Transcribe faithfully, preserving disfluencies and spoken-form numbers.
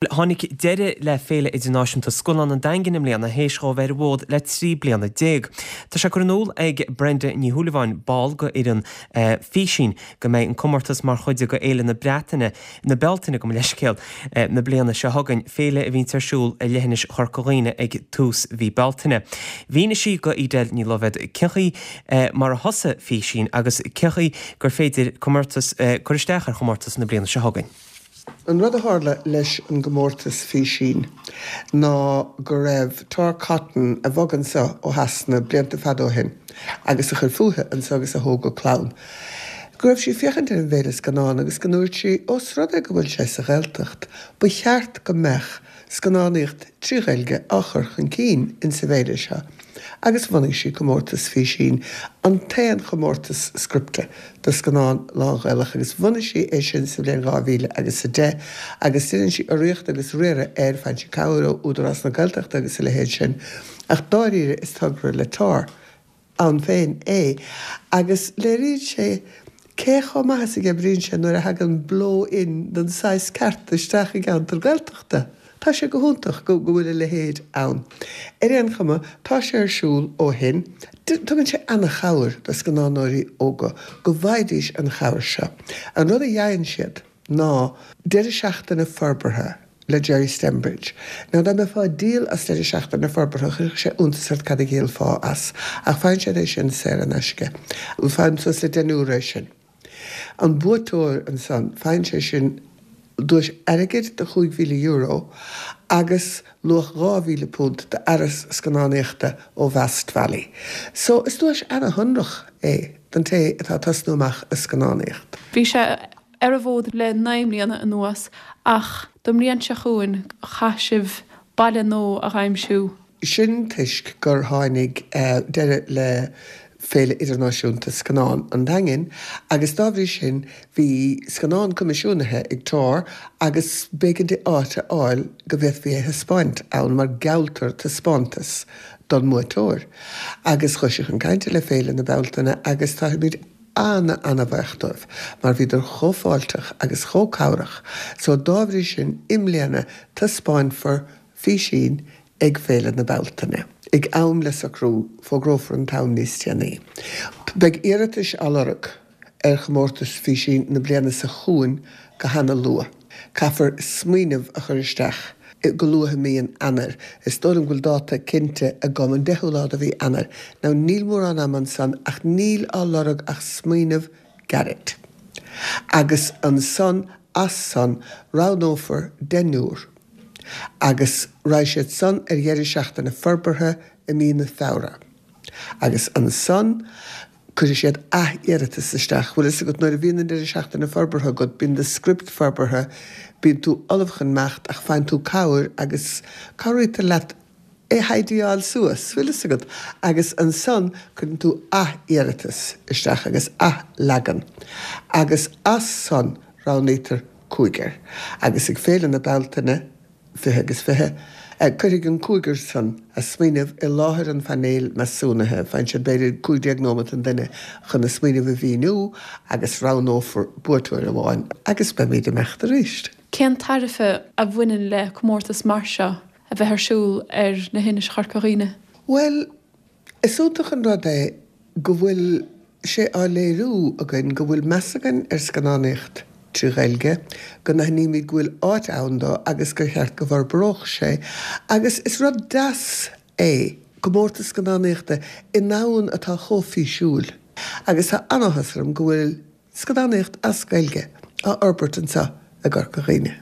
Tháinig deireadh le Féile Idirnáisiúnta Scannán an Daingin i mbliana théis dó bheith ar an bhfód le trí bliana déag. Tá sé curtha in iúl ag Brenda Ní Shúilleabháin, ball de fhoireann Físín, go mbeidh an comórtas mar chuid de Fhéile na Breataine, na Bealtaine gabh mo leithscéal, na bliana seo chugainn, féile a bhíonn ar siúl i leithinis Chorca Dhuibhne ag tús mhí Bealtaine. Mhínigh sí do Edel Ní Loibhéad cén chaoi mar a thosaigh Físín agus cén chaoi gur féidir comórtas cur isteach ar chomórtas na bliana seo chugainn. An rud a tharla leis an gcomórtas Físín ná go raibh Tor Cotton, a bhog anseo ó Shasana blianta fada ó shin agus a chuir fúithi anseo agus a thóg a clann, go raibh sí ag féachaint ar an bhféile scannán agus go ndúirt sí, ós rud é go bhfuil sé sa Ghaeltacht, ba cheart go mbeadh scannánaíocht trí Ghaeilge á chur chun cinn insa bhféile seo agus bhunaigh sí comórtas Físín, an t-aon chomórtas scripte do scannán lán-Ghaelach agus bhunaigh sí é sin sa bhliain dhá mhíle agus a deich agus déanann sí urraíocht agus riaradh air, faigheann sí cabhair ó Údarás na Gaeltachta agus a leithéid sin ach dáiríre is togra le Tor ann féin é agus léiríonn sé cé chomh maith is a oibríonn sé nuair a thagann blow-in den saghas ceart isteach i gceantar Gaeltachta. Tá sé go hiontach go bhfuil a leithéid ann. Ar aon chuma, tá sé ar siúl ó shin. Tugann sé ana-chabhair do scannánóirí óga go bhfaighidís an chabhair seo. An rud a fhaigheann siad ná deireadh seachtaine forbartha le Gerry Stembridge. Now dá mbeifeá ag díol as deireadh seachtaine forbartha chuirfeadh sé iontas ort cad a dhíolfá as, ach faigheann siad é sin saor in aisce. Faigheann suas le deichniúr é sin. An buaiteoir ansan, faigheann sé sin duais airgid de chúig mhíle euro agus luach dhá mhíle punt d'fhearas scannánaíochta ó Vast Valley. So is duais ana-shonrach é don té atá ag tosnú amach i scannánaíocht. Bhí sé ar an bhfód le naoi mbliana anuas ach don mbliain seo chugainn chaith sibh baile nua a aimsiú. Sin toisc gur tháinig deireadh le Féile Idirnáisiúnta Scannán an Daingin agus dá bhrí sin bhí scannán coimisiúnaithe ag Tor agus b'éigean di áit a fháil go bhféadfaí é a thaispeáint ann mar gealltar taispeántas don mbuaiteoir. Agus chuaigh sí chun cainte le Féile na Bealtaine agus táimid ana-ana-bhuíoch dóibh mar bhíodar chomh fáilteach agus chomh cabhrach so dá bhrí sin i mbliana taispeánfar Físín ag Féile na Bealtaine. Ag am le socrú, fógrófar an t-am níos déanaí. Beidh iarratais á lorg ar chomórtas Físín na bliana seo chugainn go hana-luath. Caithfear smaoineamh a chur isteach go luath i mí an Eanáir. Is dóigh liom go bhfuil dáta cinnte agam, an deichiú lá de mhí Eanáir. Now níl mórán ama ansan ach níl á lorg ach smaoineamh gairid. Agus ansan, as san, roghnófar deichniúr. Agus raghaidh siad san ar dheireadh seachtaine forbartha i mí na Feabhra. Agus ansan cuirfidh siad ath-iarratas isteach. Bhfuil fhios agat, nuair a bhíonn an deireadh seachtaine forbartha agat, bíonn do script forbartha, bíonn tú ullamh chun imeacht ach faigheann tú cabhair agus cabhraítear leat é a thidyáil suas, bhfuil fhios agat. Agus ansan cuireann tú ath-iarratas isteach agus ath-leagan. Agus as san roghnaítear cúigear. Agus ag Féile na Bealtaine fiche agus fiche, cuirfidh an cúigear san a smaoineamh i láthair an phainéil measúnaithe. Faigheann siad b'fhéidir cúig déag nóiméad an duine chun a smaoineamh a mhíniú agus roghnófar buaiteoir amháin agus beimid ag imeacht arís. Cén tairbhe a bhaineann le comórtas mar seo a bheith ar siúl ar na hInis Chorca Dhuibhne? Bhuel, is iontach an rud é go bhfuil sé á léiriú againn go bhfuil meas againn ar scannánaíocht trí Ghaeilge, go n-aithnímid go bhfuil áit ann dó agus gur cheart go bhforbródh sé agus is rud deas é comórtas scannánaíochta i ndomhan atá chomh físiúil agus tá an-áthas orm go bhfuil scannánaíocht as Gaeilge á fhorbairt anseo i gCorca Dhuibhne.